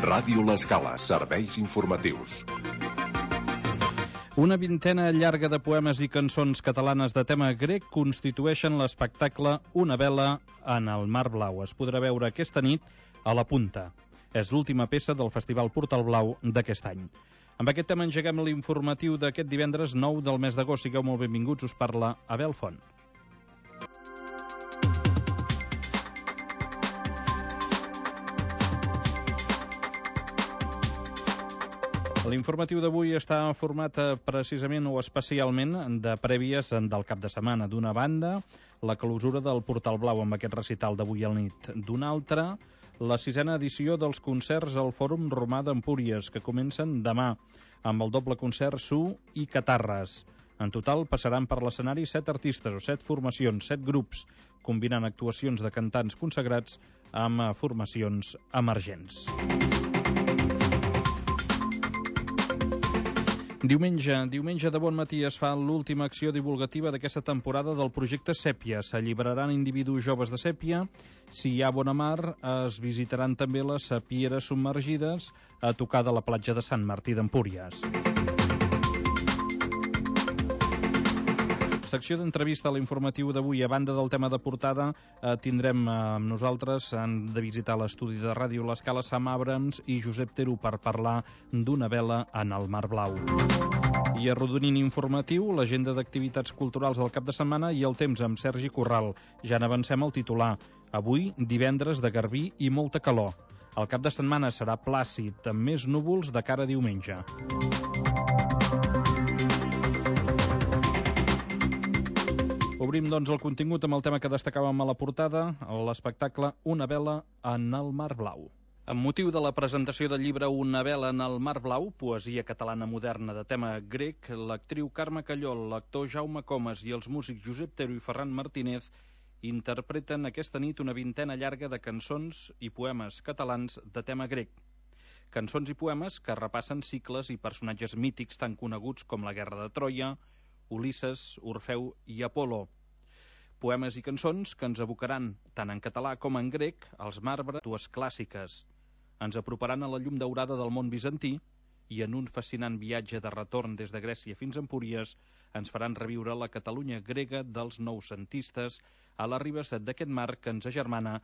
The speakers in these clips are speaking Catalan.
Ràdio L'Escala, serveis informatius. Una vintena llarga de poemes i cançons catalanes de tema grec constitueixen l'espectacle Una vela en el mar blau. Es podrà veure aquesta nit a la Punta. És l'última peça del Festival Portal Blau d'aquest any. Amb aquest tema engeguem l'informatiu d'aquest divendres 9 del mes d'agost. Sigueu molt benvinguts, us parla Abel Font. L'informatiu d'avui està format precisament o especialment de prèvies del cap de setmana. D'una banda, la clausura del Portal Blau amb aquest recital d'avui al nit. D'una altra, la 6a edició dels concerts al Fòrum Romà d'Empúries, que comencen demà, amb el doble concert Su i Catarres. En total passaran per l'escenari 7 artistes o 7 formacions, 7 grups, combinant actuacions de cantants consagrats amb formacions emergents. Diumenge de bon matí es fa l'última acció divulgativa d'aquesta temporada del projecte Sèpia. S'alliberaran individus joves de Sèpia. Si hi ha bona mar, es visitaran també les sapieres submergides a tocar de la platja de Sant Martí d'Empúries. Secció d'entrevista a l'informatiu d'avui. A banda del tema de portada, tindrem amb nosaltres, han de visitar l'estudi de Ràdio L'Escala, Sam Abrams i Josep Teru per parlar d'una vela en el mar blau. I arrodonint informatiu, l'agenda d'activitats culturals del cap de setmana i el temps amb Sergi Corral. Ja n'avancem el titular. Avui, divendres de garbí i molta calor. El cap de setmana serà plàcid, amb més núvols de cara a diumenge. Obrim, doncs, el contingut amb el tema que destacàvem a la portada, l'espectacle Una vela en el mar blau. Amb motiu de la presentació del llibre Una vela en el mar blau, poesia catalana moderna de tema grec, l'actriu Carme Callol, l'actor Jaume Comas i els músics Josep Teru i Ferran Martínez interpreten aquesta nit una vintena llarga de cançons i poemes catalans de tema grec. Cançons i poemes que repassen cicles i personatges mítics tan coneguts com la Guerra de Troia, Ulisses, Orfeu i Apol·lo. Poemes i cançons que ens abocaran, tant en català com en grec, als marbres dues clàssiques. Ens aproparan a la llum daurada del món bizantí i en un fascinant viatge de retorn des de Grècia fins a Empúries ens faran reviure la Catalunya grega dels noucentistes a les ribes d'aquest mar que ens agermana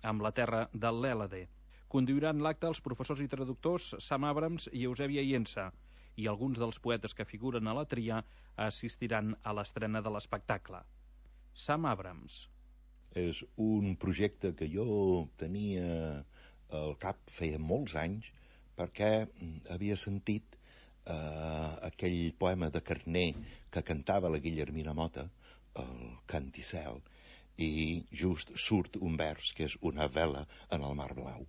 amb la terra de l'Hèlade. Conduiran l'acte els professors i traductors Sam Abrams i Eusèbia Iensa, i alguns dels poetes que figuren a la tria assistiran a l'estrena de l'espectacle. Sam Abrams. És un projecte que jo tenia al cap feia molts anys perquè havia sentit aquell poema de Carner que cantava la Guillermina Mota, el Canticel, i just surt un vers que és una vela en el mar blau.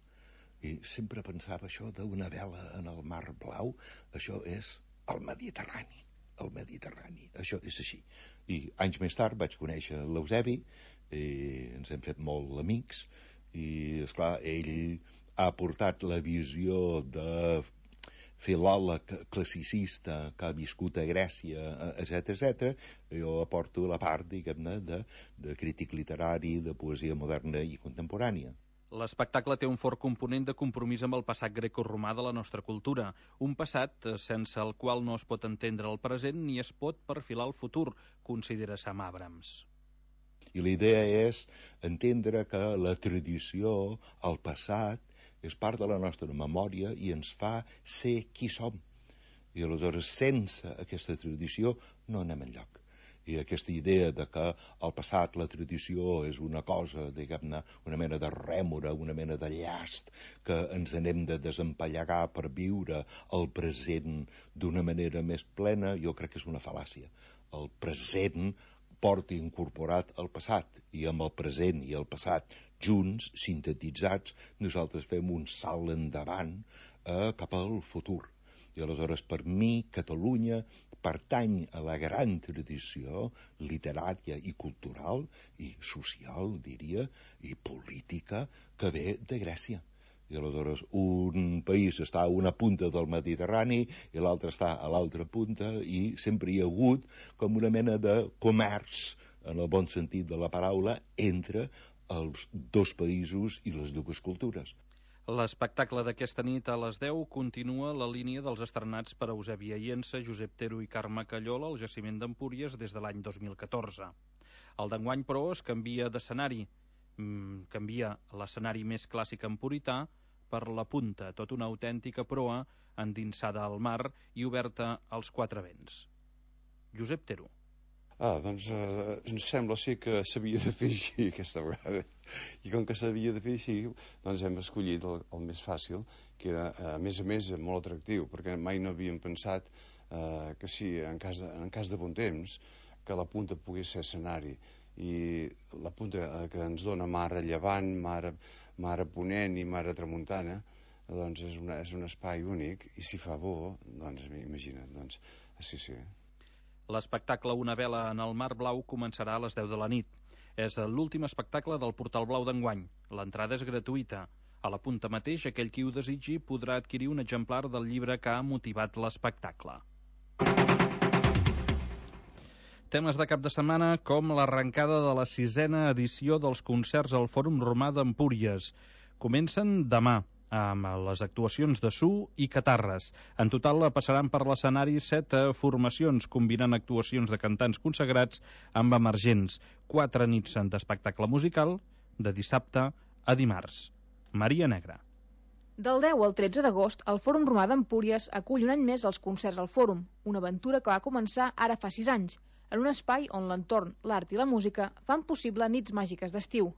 I sempre pensava això d'una vela en el mar blau, això és el Mediterrani, això és així. I anys més tard vaig conèixer l'Eusebi, ens hem fet molt amics, i esclar, ell ha portat la visió de filòleg classicista que ha viscut a Grècia, etc. Jo aporto la part, diguem-ne, de crític literari, de poesia moderna i contemporània. L'espectacle té un fort component de compromís amb el passat grecoromà de la nostra cultura, un passat sense el qual no es pot entendre el present ni es pot perfilar el futur, considera Sam Abrams. I la idea és entendre que la tradició, el passat, és part de la nostra memòria i ens fa ser qui som. I aleshores, sense aquesta tradició, no anem enlloc. I aquesta idea de que el passat, la tradició, és una cosa, diguem-ne, una mena de rèmora, una mena de llast, que ens anem de desempallegar per viure el present d'una manera més plena, jo crec que és una fal·làcia. El present porta incorporat el passat, i amb el present i el passat junts, sintetitzats, nosaltres fem un salt endavant cap al futur. I aleshores, per mi, Catalunya pertany a la gran tradició literària i cultural i social, diria, i política que ve de Grècia. I aleshores un país està a una punta del Mediterrani i l'altre està a l'altra punta i sempre hi ha hagut com una mena de comerç, en el bon sentit de la paraula, entre els dos països i les dues cultures. L'espectacle d'aquesta nit a les 10 continua la línia dels estrenats per Eusebi Aiensa, Josep Tero i Carme Callola al jaciment d'Empúries des de l'any 2014. El d'enguany, però, es canvia d'escenari. Canvia l'escenari més clàssic empurità per la Punta, tot una autèntica proa endinsada al mar i oberta als quatre vents. Josep Tero. Doncs ens sembla ser que s'havia de fer així aquesta vegada. I com que s'havia de fer així, doncs hem escollit el més fàcil, que era, a més, molt atractiu, perquè mai no havíem pensat que sí, en cas de bon temps, que la Punta pogués ser escenari. I la Punta que ens dona mar a llevant, mar a ponent i mar a tramuntana, doncs és un espai únic, i si fa bo, doncs imagina't, doncs, sí. L'espectacle Una vela en el mar blau començarà a les 10 de la nit. És l'últim espectacle del Portal Blau d'enguany. L'entrada és gratuïta. A la Punta mateix, aquell qui ho desitgi podrà adquirir un exemplar del llibre que ha motivat l'espectacle. Temes de cap de setmana com l'arrencada de la 6a edició dels concerts al Fòrum Romà d'Empúries. Comencen demà amb les actuacions de Su i Catarres. En total passaran per l'escenari 7 formacions, combinant actuacions de cantants consagrats amb emergents. 4 nits d'espectacle musical, de dissabte a dimarts. Maria Negra. Del 10 al 13 d'agost, el Fòrum Romà d'Empúries acull un any més els concerts al Fòrum, una aventura que va començar ara fa 6 anys, en un espai on l'entorn, l'art i la música fan possible nits màgiques d'estiu.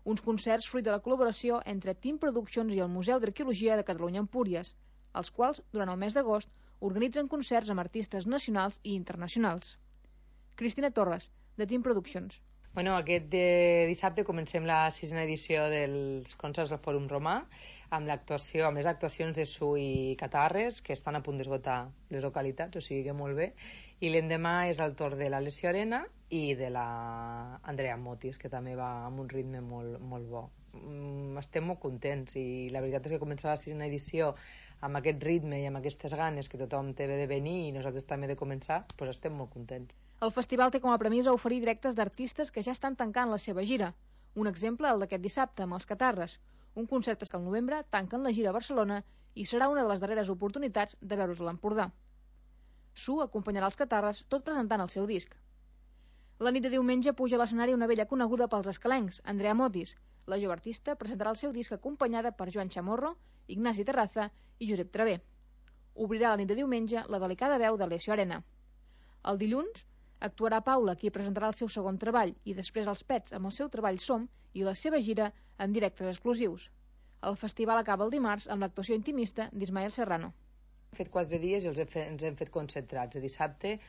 Uns concerts fruit de la col·laboració entre Team Productions i el Museu d'Arqueologia de Catalunya Empúries, els quals, durant el mes d'agost, organitzen concerts amb artistes nacionals i internacionals. Cristina Torres, de Team Productions. Aquest dissabte comencem la 6a edició dels concerts del Fòrum Romà amb les actuacions de Su i Catarres, que estan a punt d'esgotar les localitats, o sigui que molt bé, i l'endemà és el torn de l'Alessio Arena i de la Andrea Motis, que també va amb un ritme molt bo. Estem molt contents i la veritat és que començar la 6a edició amb aquest ritme i amb aquestes ganes que tothom té de venir i nosaltres també de començar, doncs estem molt contents. El festival té com a premissa oferir directes d'artistes que ja estan tancant la seva gira. Un exemple, el d'aquest dissabte, amb els Catarres. Un concert que al novembre tanquen la gira a Barcelona i serà una de les darreres oportunitats de veure's a l'Empordà. Su acompanyarà els Catarres, tot presentant el seu disc. La nit de diumenge puja a l'escenari una vella coneguda pels escalencs, Andrea Motis. La jove artista presentarà el seu disc acompanyada per Joan Chamorro, Ignasi Terraza i Josep Travé. Obrirà la nit de diumenge la delicada veu d'Alessio Arena. El dilluns actuarà Paula, qui presentarà el seu segon treball, i després els Pets amb el seu treball Som i la seva gira amb directes exclusius. El festival acaba el dimarts amb l'actuació intimista d'Ismael Serrano. Hem fet 4 dies i ens hem fet concentrats, de dissabte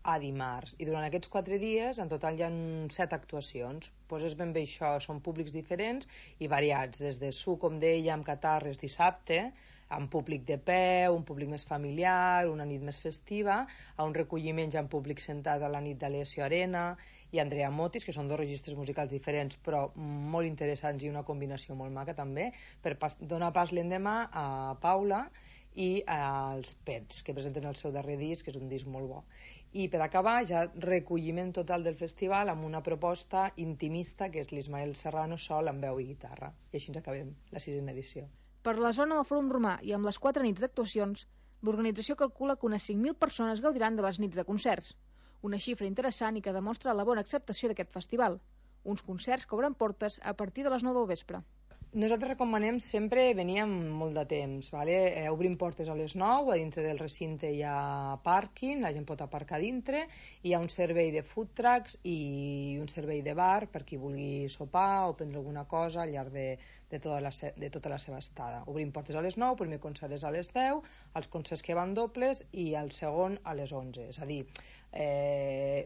a dimarts. I durant aquests 4 dies, en total hi ha 7 actuacions. Doncs és ben bé això, són públics diferents i variats, des de Su, com deia, amb Catarres dissabte, amb públic de peu, un públic més familiar, una nit més festiva, a un recolliment ja amb públic sentat a la nit d'Alessio Arena i Andrea Motis, que són 2 registres musicals diferents però molt interessants i una combinació molt maca també, per donar pas l'endemà a Paula i als Pets, que presenten el seu darrer disc, que és un disc molt bo. I per acabar, ja recolliment total del festival amb una proposta intimista, que és l'Ismael Serrano sol amb veu i guitarra. I així ens acabem la 6a edició. Per la zona del Fòrum Romà i amb les 4 nits d'actuacions, l'organització calcula que unes 5.000 persones gaudiran de les nits de concerts. Una xifra interessant i que demostra la bona acceptació d'aquest festival. Uns concerts que obren portes a partir de les 9 del vespre. Nosaltres recomanem sempre venir amb molt de temps, vale? Obrim portes a les 9, a dintre del recinte hi ha pàrquing, la gent pot aparcar dintre, hi ha un servei de food trucks i un servei de bar per qui vulgui sopar o prendre alguna cosa al llarg de tota la seva estada. Obrim portes a les 9, el primer concert és a les 10, els concerts que van dobles i el segon a les 11, és a dir,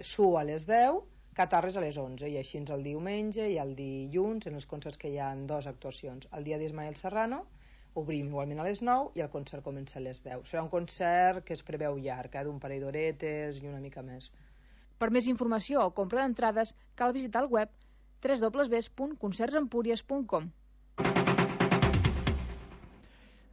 Su a les 10, Catarres a les 11, i així el diumenge i el dilluns en els concerts que hi ha 2 actuacions. El dia d'Ismael Serrano obrim igualment a les 9 i el concert comença a les 10. Serà un concert que es preveu llarg, d'un parell d'horetes i una mica més. Per més informació o compra d'entrades cal visitar el web www.concertsempúries.com.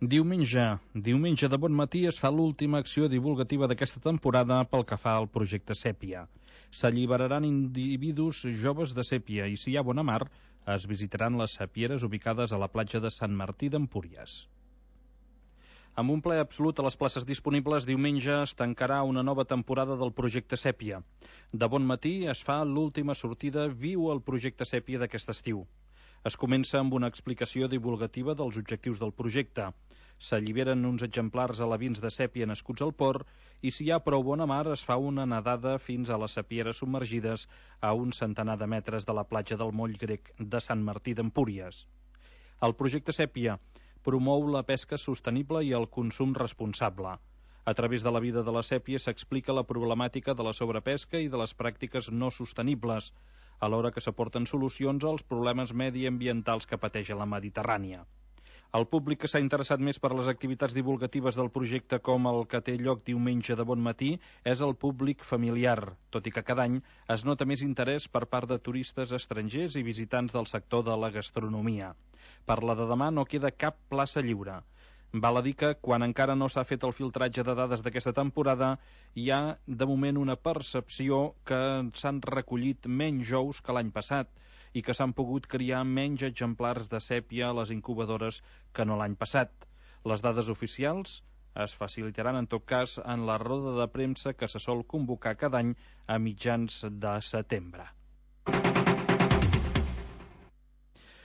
Diumenge de bon matí es fa l'última acció divulgativa d'aquesta temporada pel que fa al projecte Sèpia. S'alliberaran individus joves de Sèpia i si hi ha bona mar Es visitaran les sapieres ubicades a la platja de Sant Martí d'Empúries. Amb un ple absolut a les places disponibles, diumenge es tancarà una nova temporada del projecte Sèpia. De bon matí es fa l'última sortida Viu el projecte Sèpia d'aquest estiu. Es comença amb una explicació divulgativa dels objectius del projecte. S'alliberen uns exemplars alevins de sèpia nascuts al port i si hi ha prou bona mar es fa una nedada fins a les sapieres submergides a un centenar de metres de la platja del Moll Grec de Sant Martí d'Empúries. El projecte Sèpia promou la pesca sostenible i el consum responsable. A través de la vida de la sèpia s'explica la problemàtica de la sobrepesca i de les pràctiques no sostenibles, alhora que s'aporten solucions als problemes mediambientals que pateix la Mediterrània. El públic que s'ha interessat més per les activitats divulgatives del projecte com el que té lloc diumenge de bon matí és el públic familiar, tot i que cada any es nota més interès per part de turistes estrangers i visitants del sector de la gastronomia. Per la de demà no queda cap plaça lliure. Val a dir que, quan encara no s'ha fet el filtratge de dades d'aquesta temporada, hi ha, de moment, una percepció que s'han recollit menys ous que l'any passat i que s'han pogut criar menys exemplars de sèpia a les incubadores que no l'any passat. Les dades oficials es facilitaran, en tot cas, en la roda de premsa que se sol convocar cada any a mitjans de setembre.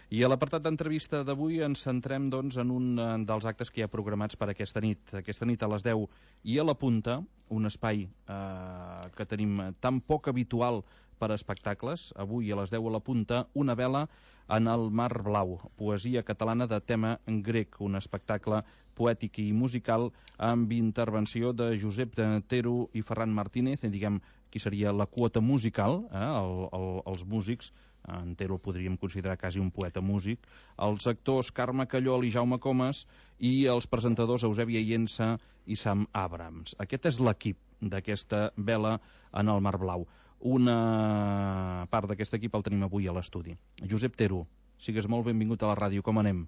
I a l'apartat d'entrevista d'avui ens centrem doncs, en un dels actes que hi ha programats per aquesta nit. Aquesta nit a les 10 i a la Punta, un espai que tenim tan poc habitual per a espectacles. Avui a les 10 a la Punta, Una vela en el mar blau, poesia catalana de tema grec, un espectacle poètic i musical amb intervenció de Josep Tero i Ferran Martínez, diguem, qui seria la quota musical, els músics. En Tero el podríem considerar quasi un poeta músic, els actors Carme Callol i Jaume Comas i els presentadors Eusèbia Iensa i Sam Abrams. Aquest és l'equip d'aquesta vela en el mar blau. Una part d'aquest equip el tenim avui a l'estudi. Josep Tero, sigues molt benvingut a la ràdio, com anem?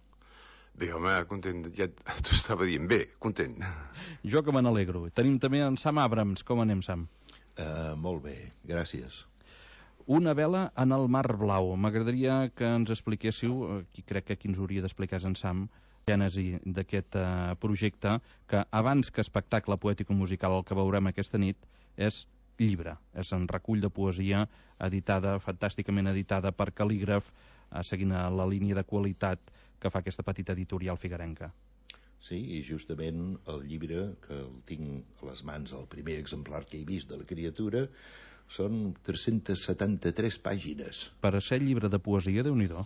Bé, home, content, ja t'ho estava dient, bé, content. Jo que me n'alegro. Tenim també en Sam Abrams, com anem, Sam? Molt bé, gràcies. Una vela en el mar blau. M'agradaria que ens expliquéssiu, crec que qui ens hauria d'explicar és en Sam, la gènesi d'aquest projecte, que abans que espectacle poètic-musical el que veurem aquesta nit és llibre, és un recull de poesia editada, fantàsticament editada per Cal·lígraf, seguint la línia de qualitat que fa aquesta petita editorial figuerenca. Sí, i justament el llibre, que el tinc a les mans, el primer exemplar que he vist de la criatura, són 373 pàgines. Per a ser llibre de poesia, Déu-n'hi-do,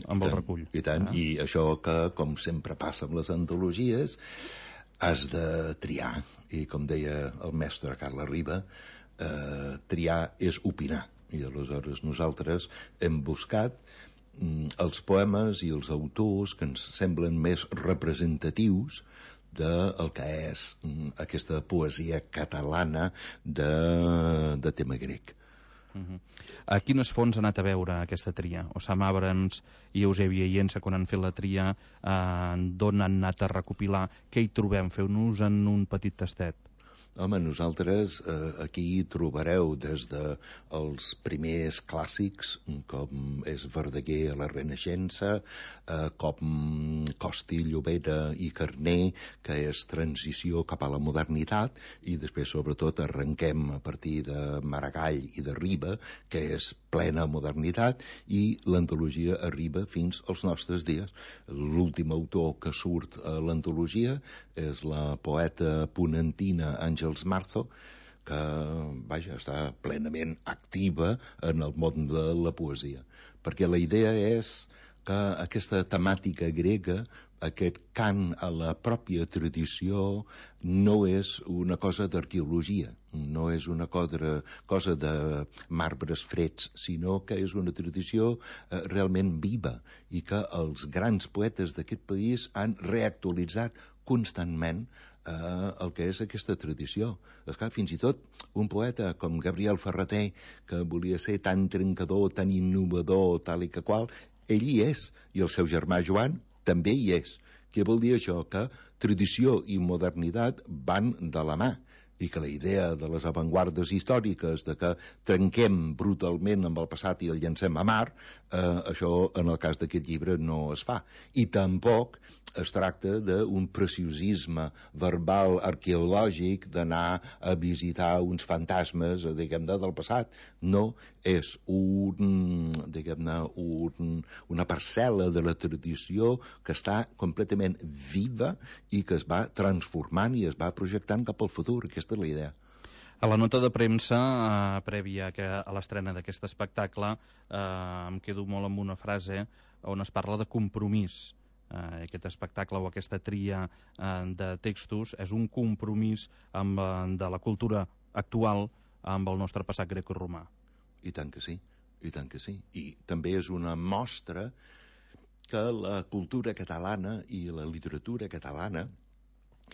amb el recull. I tant, i això que, com sempre passa amb les antologies, has de triar. I com deia el mestre Carles Riba, triar és opinar. I aleshores nosaltres hem buscat els poemes i els autors que ens semblen més representatius del que és aquesta poesia catalana de tema grec. A quines fonts ha anat a veure aquesta tria? O Sam Abrams i Eusèbia Iensa, quan han fet la tria, d'on han anat a recopilar? Què hi trobem? Feu-nos en un petit tastet. Home, nosaltres aquí trobareu des dels primers clàssics, com és Verdaguer a la Renaixença, com Costi, Llobera i Carner, que és transició cap a la modernitat, i després, sobretot, arrenquem a partir de Maragall i de Riba, que és plena modernitat, i l'antologia arriba fins als nostres dies. L'últim autor que surt a l'antologia és la poeta ponentina Àngels Marzo, que, vaja, està plenament activa en el món de la poesia. Perquè la idea és que aquesta temàtica grega, aquest cant a la pròpia tradició, no és una cosa d'arqueologia, no és una cosa de marbres freds, sinó que és una tradició realment viva i que els grans poetes d'aquest país han reactualitzat constantment el que és aquesta tradició. Esclar, fins i tot un poeta com Gabriel Ferrater, que volia ser tan trencador, tan innovador, tal i que qual, ell hi és, i el seu germà Joan també hi és. Què vol dir això? Que tradició i modernitat van de la mà. i que la idea de les avantguardes històriques de que trenquem brutalment amb el passat i el llancem a mar, això en el cas d'aquest llibre no es fa. I tampoc es tracta d'un preciosisme verbal arqueològic d'anar a visitar uns fantasmes, diguem-ne, del passat. No, és una parcel·la de la tradició que està completament viva i que es va transformant i es va projectant cap al futur. Aquesta és la idea. A la nota de premsa, prèvia a l'estrena d'aquest espectacle, em quedo molt amb una frase on es parla de compromís. Aquest espectacle o aquesta tria de textos és un compromís de la cultura actual amb el nostre passat grecoromà. I tant que sí, i tant que sí. I també és una mostra que la cultura catalana i la literatura catalana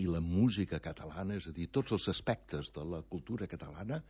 i la música catalana, és a dir, tots els aspectes de la cultura catalana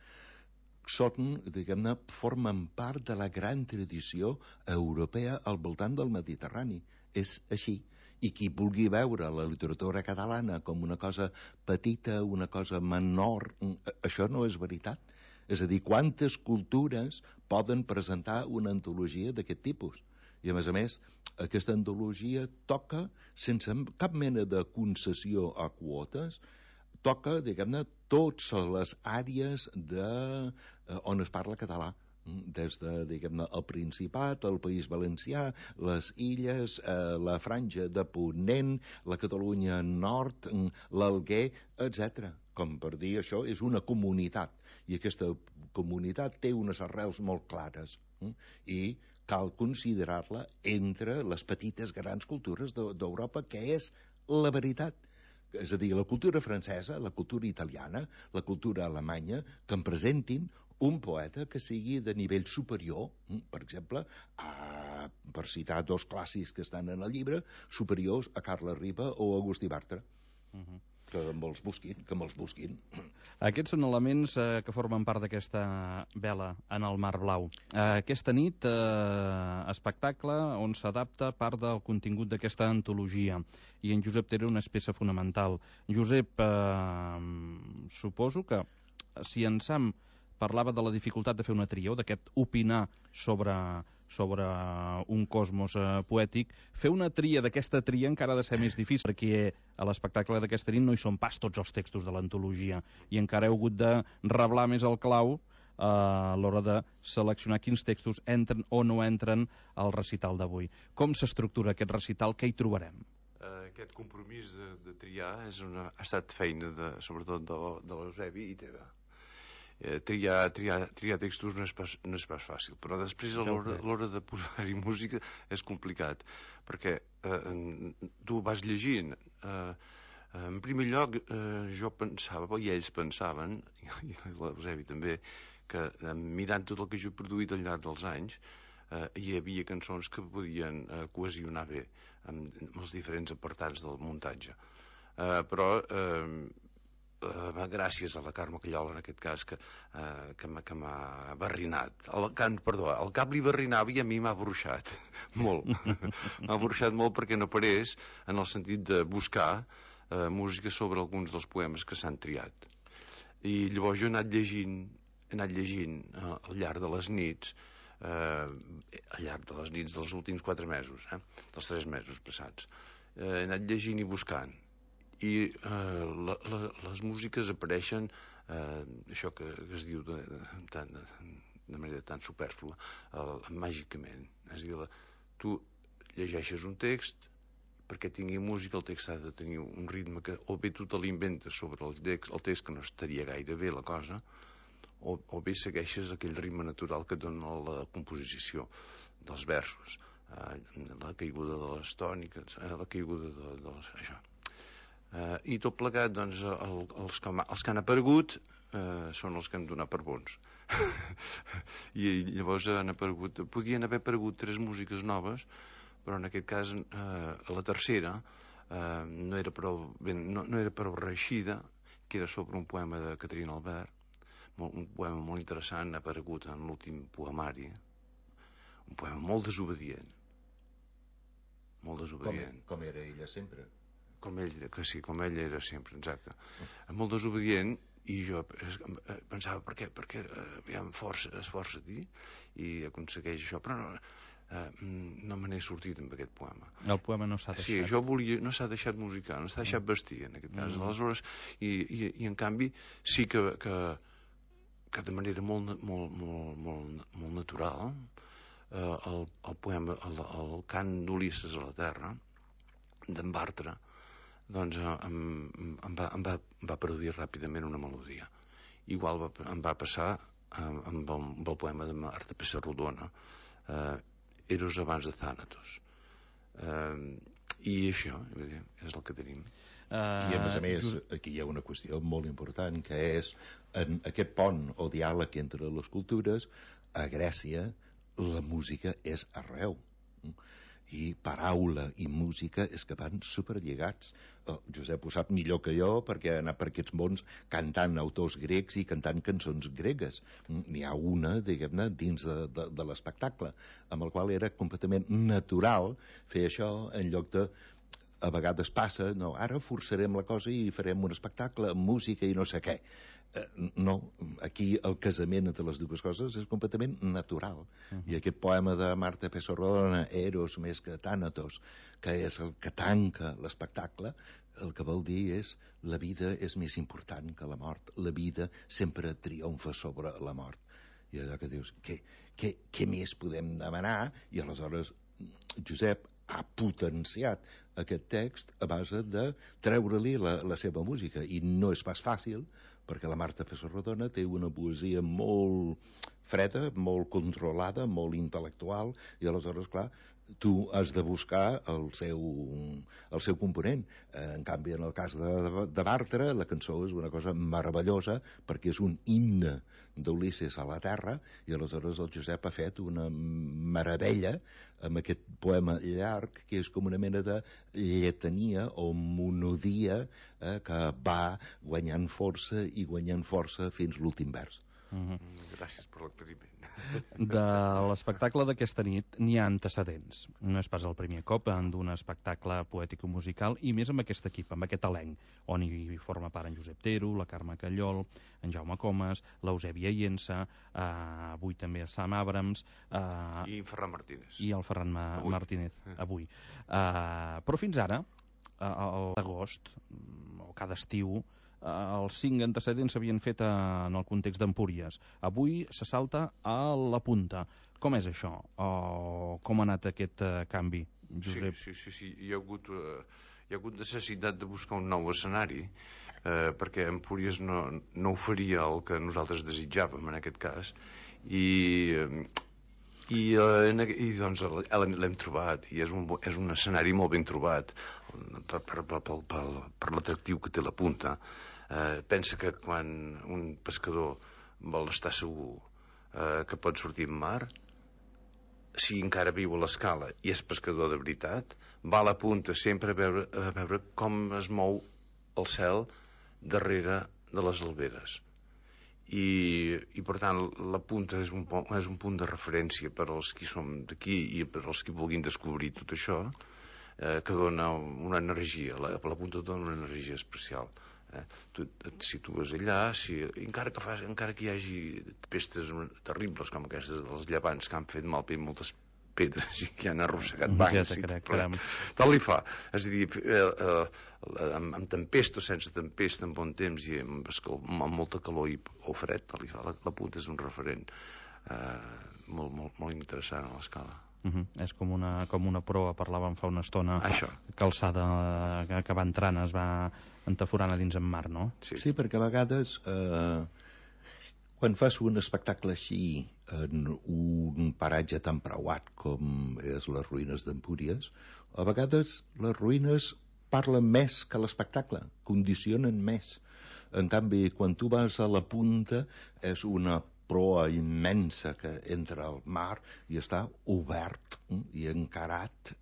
són, diguem-ne, formen part de la gran tradició europea al voltant del Mediterrani. És així. I qui vulgui veure la literatura catalana com una cosa petita, una cosa menor, això no és veritat. És a dir, quantes cultures poden presentar una antologia d'aquest tipus? I, a més, aquesta antologia toca, sense cap mena de concessió a quotes, toca, diguem-ne, totes les àrees on es parla català, des de, diguem-ne, el Principat, el País Valencià, les Illes, la Franja de Ponent, la Catalunya Nord, l'Alguer, etc. Com per dir, això és una comunitat, i aquesta comunitat té unes arrels molt clares, i cal considerar-la entre les petites grans cultures d'Europa, que és la veritat. És a dir, la cultura francesa, la cultura italiana, la cultura alemanya, que em presentin un poeta que sigui de nivell superior, per exemple, per citar dos clàssics que estan en el llibre, superiors a Carles Riba o Agustí Bartra. Que me'ls busquin. Aquests són elements que formen part d'aquesta vela en el mar blau. Aquesta nit, espectacle on s'adapta part del contingut d'aquesta antologia, i en Josep Tera una peça fonamental. Josep, suposo que si en Sam parlava de la dificultat de fer una tria o d'aquest opinar sobre un cosmos poètic, fer una tria d'aquesta tria encara ha de ser més difícil, perquè a l'espectacle d'aquesta nit no hi són pas tots els textos de l'antologia i encara heu hagut de reblar més el clau a l'hora de seleccionar quins textos entren o no entren al recital d'avui. Com s'estructura aquest recital? Què hi trobarem? Aquest compromís de triar ha estat feina sobretot de l'Eusebi i teva. Triar textos no és pas fàcil, però després a l'hora de posar-hi música és complicat, perquè tu vas llegint. En primer lloc, jo pensava, i ells pensaven, i l'Eusebi també, que mirant tot el que jo he produït al llarg dels anys, hi havia cançons que podien cohesionar bé amb els diferents apartats del muntatge. Però gràcies a la Carme Callola, en aquest cas, que m'ha barrinat. El cap li barrinava i a mi m'ha bruixat molt. M'ha bruixat molt perquè no parés en el sentit de buscar música sobre alguns dels poemes que s'han triat. I llavors jo he anat llegint al llarg de les nits, dels últims 4 mesos, dels 3 mesos passats. He anat llegint i buscant. I les músiques apareixen, això que es diu de manera tan supèrflua, màgicament. És a dir, tu llegeixes un text, perquè tingui música el text ha de tenir un ritme que o bé tu te l'inventes sobre el text, que no estaria gaire bé la cosa, o bé segueixes aquell ritme natural que dona la composició dels versos, la caiguda de les tòniques, la caiguda de això. I tot plegat, doncs, els que han aparegut són els que hem donat per bons. I llavors podien haver aparegut 3 músiques noves, però en aquest cas la tercera no era prou reeixida, que era sobre un poema de Caterina Albert, un poema molt interessant, ha aparegut en l'últim poemari, un poema molt desobedient. Com era ella sempre. Com ell era sempre, exacte. Molt desobedient, I jo pensava, per què esforça-t'hi i aconsegueix això, però no me n'he sortit amb aquest poema. El poema no s'ha deixat. Sí, jo volia, no s'ha deixat musicar, no s'ha deixat vestir, en aquest cas. Aleshores, i en canvi, sí que de manera molt natural, el poema, el cant d'Ulisses a la terra, d'en Bartra, doncs em va produir ràpidament una melodia. Igual em va passar amb el poema de Marta Pessarrodona, Eros abans de Thanatos. I això és el que tenim. I a més, aquí hi ha una qüestió molt important, que és en aquest pont o diàleg entre les cultures, a Grècia la música és arreu. I paraula i música és que van superlligats. Josep ho sap millor que jo, perquè ha anat per aquests mons cantant autors grecs i cantant cançons gregues. N'hi ha una, diguem-ne, dins de l'espectacle, amb el qual era completament natural fer això en lloc de... A vegades passa, no, ara forçarem la cosa i farem un espectacle amb música i no sé què. No, aquí el casament entre les dues coses és completament natural. I aquest poema de Marta Pessarrodona, Eros més que Thanatos, que és el que tanca l'espectacle, el que vol dir és la vida és més important que la mort. La vida sempre triomfa sobre la mort. I allò que dius, què més podem demanar? I aleshores Josep ha potenciat aquest text a base de treure-li la seva música, i no és pas fàcil, perquè la Marta Pessarrodona té una poesia molt freda, molt controlada, molt intel·lectual, i aleshores, clar, tu has de buscar el seu component. En canvi, en el cas de Bartra, la cançó és una cosa meravellosa, perquè és un himne d'Ulisses a la terra, i aleshores el Josep ha fet una meravella amb aquest poema llarg, que és com una mena de lletania o monodia que va guanyant força i guanyant força fins l'últim vers. Gràcies per l'aclariment. De l'espectacle d'aquesta nit n'hi ha antecedents. No és pas el primer cop d'un espectacle poètic-musical, i més amb aquest equip, amb aquest elenc, on hi forma part en Josep Tero, la Carme Callol, en Jaume Comas, l'Eusèbia Iensa, avui també Sam Abrams... I en Ferran Martínez. I el Ferran Martínez, avui. Però fins ara, l'agost, o cada estiu, els 5 antecedents s'havien fet en el context d'Empúries. Avui se salta a la punta. Com és això? Com ha anat aquest canvi, Josep? Sí. Hi ha hagut necessitat de buscar un nou escenari, perquè Empúries no oferia el que nosaltres desitjàvem en aquest cas, i doncs l'hem trobat, i és un escenari molt ben trobat per l'atractiu que té la punta. Pensa que quan un pescador vol estar segur que pot sortir en mar, si encara viu a l'escala i és pescador de veritat, va a la punta sempre a veure com es mou el cel darrere de les alberes. I per tant la punta és un punt de referència per als qui som d'aquí i per als qui vulguin descobrir tot això, que dona una energia, la punta dona una energia especial. Tu et situes allà, encara que hi hagi pestes terribles com aquestes dels llevants que han fet mal per moltes pedres i que han arrossegat bancs, tal li fa. És a dir, amb tempesta o sense tempesta, amb bon temps i amb molta calor o fred, tal li fa. La punta és un referent molt interessant a l'escala. És com una proa, parlàvem fa una estona, això. Calçada que va entrant, es va entaforant a dins en mar, no? Sí, perquè a vegades quan fas un espectacle així en un paratge tan preuat com és les ruïnes d'Empúries, a vegades les ruïnes parlen més que l'espectacle, condicionen més. En canvi, quan tu vas a la punta, és una proa immensa que entra al mar i està obert i encarat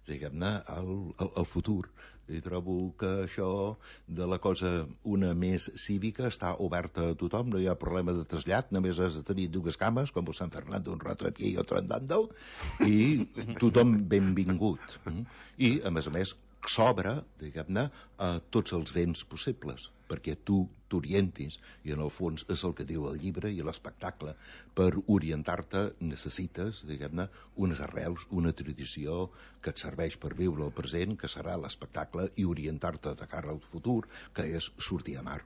diguem-ne al futur. I trobo que això de la cosa una més cívica està oberta a tothom, no hi ha problema de trasllat, només has de tenir dues cames com a Sant Fernando, un ratro aquí i otro andando, i tothom benvingut. I a més s'obre, diguem-ne, a tots els vents possibles, perquè tu t'orientis, i en el fons és el que diu el llibre i l'espectacle. Per orientar-te necessites, diguem-ne, unes arrels, una tradició que et serveix per viure el present, que serà l'espectacle, i orientar-te de cara al futur, que és sortir a mar.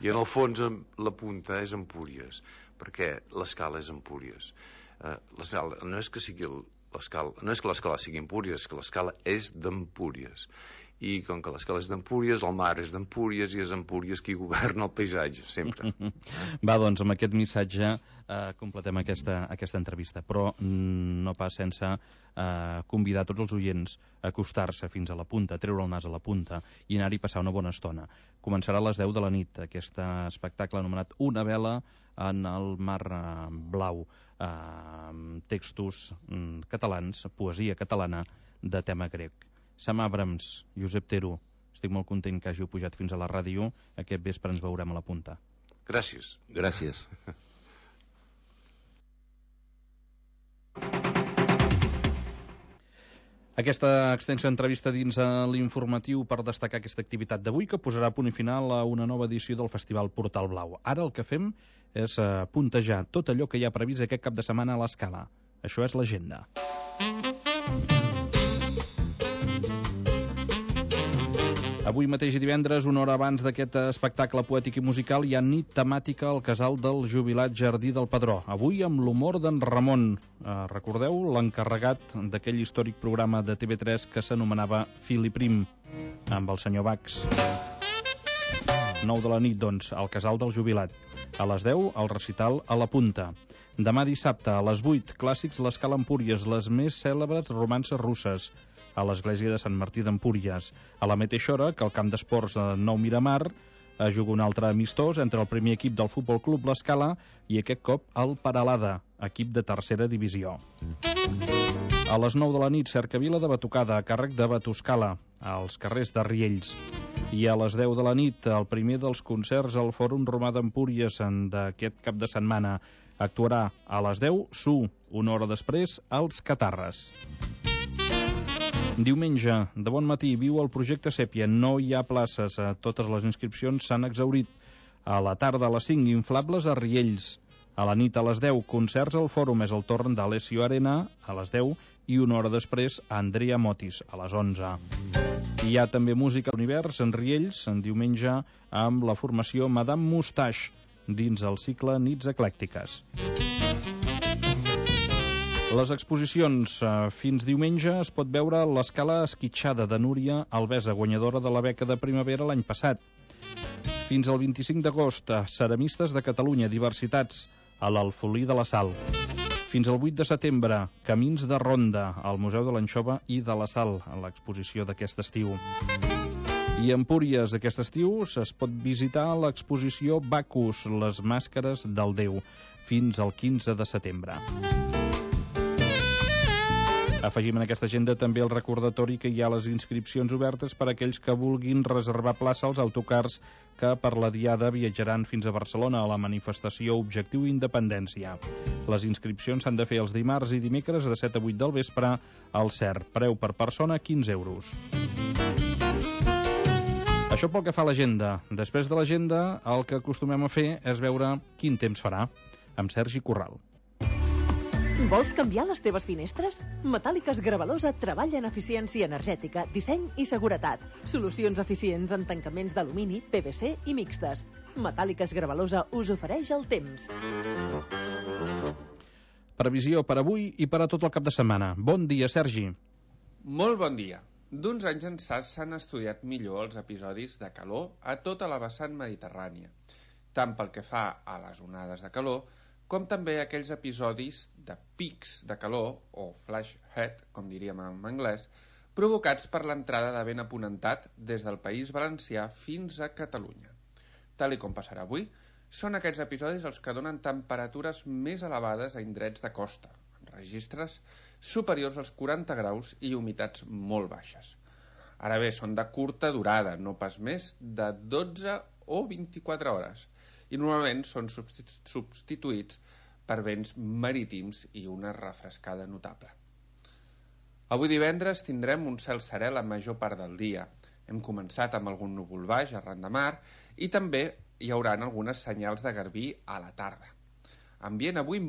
I en el fons la punta és Empúries, perquè l'escala és Empúries. L'escala no és que sigui l'escala, no és que l'escala sigui Empúries, és que l'escala és d'Empúries. I com que l'escala és d'Empúries, el mar és d'Empúries i és Empúries qui governa el paisatge, sempre. Va, doncs, amb aquest missatge completem aquesta entrevista, però no pas sense convidar tots els oients a acostar-se fins a la punta, a treure el nas a la punta i anar-hi a passar una bona estona. Començarà a les 10 de la nit aquest espectacle anomenat Una vela en el mar blau, textos catalans, poesia catalana de tema grec. Sam Abrams, Josep Tero, estic molt content que hàgiu pujat fins a la ràdio. Aquest vespre ens veurem a la punta. Gràcies. Gràcies. Aquesta extensa entrevista dins l'informatiu per destacar aquesta activitat d'avui, que posarà punt i final a una nova edició del Festival Portal Blau. Ara el que fem és puntejar tot allò que hi ha previst aquest cap de setmana a l'Escala. Això és l'agenda. Avui mateix i divendres, una hora abans d'aquest espectacle poètic i musical, hi ha nit temàtica al casal del jubilat Jardí del Pedró. Avui amb l'humor d'en Ramon. Recordeu l'encarregat d'aquell històric programa de TV3 que s'anomenava Fil i Prim, amb el senyor Bax. 9 de la nit, doncs, al casal del jubilat. A les 10, el recital a la Punta. Demà dissabte, a les 8, clàssics l'Escala Empúries, les més cèlebres romances russes, a l'església de Sant Martí d'Empúries. A la mateixa hora que el camp d'esports Nou Miramar juga un altre amistós entre el primer equip del Futbol Club l'Escala i aquest cop el Peralada, equip de tercera divisió. A les 9 de la nit, cercavila de batucada a càrrec de Batuscala, als carrers de Riells. I a les 10 de la nit, el primer dels concerts al Fòrum Romà d'Empúries d'aquest cap de setmana. Actuarà a les 10, una hora després, als Catarres. Diumenge, de bon matí, viu el projecte Sèpia. No hi ha places. Totes les inscripcions s'han exhaurit. A la tarda, a les 5, inflables a Riells. A la nit, a les 10, concerts al Fòrum. És el torn d'Alessio Arena, a les 10, i una hora després, Andrea Motis, a les 11. Hi ha també música a l'univers en Riells, en diumenge, amb la formació Madame Moustache, dins el cicle Nits Eclèctiques. Les exposicions. Fins diumenge es pot veure l'Escala Esquitxada de Núria Alvesa, guanyadora de la beca de primavera l'any passat. Fins al 25 d'agost, Ceramistes de Catalunya, diversitats, a l'Alfolí de la Sal. Fins al 8 de setembre, Camins de Ronda, al Museu de l'Anxova i de la Sal, a l'exposició d'aquest estiu. I a Empúries, aquest estiu, es pot visitar l'exposició Bacus, les màscares del Déu, fins al 15 de setembre. Afegim en aquesta agenda també el recordatori que hi ha les inscripcions obertes per a aquells que vulguin reservar plaça als autocars que per la diada viatjaran fins a Barcelona a la manifestació Objectiu Independència. Les inscripcions s'han de fer els dimarts i dimecres de 7 a 8 del vespre al CER. Preu per persona 15 euros. Això pel que fa a l'agenda. Després de l'agenda, el que acostumem a fer és veure quin temps farà, amb Sergi Corral. Vols canviar les teves finestres? Metàl·liques Gravalosa treballa en eficiència energètica, disseny i seguretat. Solucions eficients en tancaments d'alumini, PVC i mixtes. Metàl·liques Gravalosa us ofereix el temps. Previsió per avui i per a tot el cap de setmana. Bon dia, Sergi. Molt bon dia. D'uns anys ençà s'han estudiat millor els episodis de calor a tota la vessant mediterrània, tant pel que fa a les onades de calor, com també aquells episodis de pics de calor, o flash head, com diríem en anglès, provocats per l'entrada de vent aponentat des del País Valencià fins a Catalunya. Tal com passarà avui, són aquests episodis els que donen temperatures més elevades a indrets de costa, amb registres superiors als 40 graus i humitats molt baixes. Ara bé, són de curta durada, no pas més de 12 o 24 hores, i normalment són substituïts per vents marítims i una refrescada notable. Avui divendres tindrem un cel serè la major part del dia. Hem començat amb algun núvol baix arran de mar i també hi haurà algunes senyals de garbí a la tarda. Ambient avui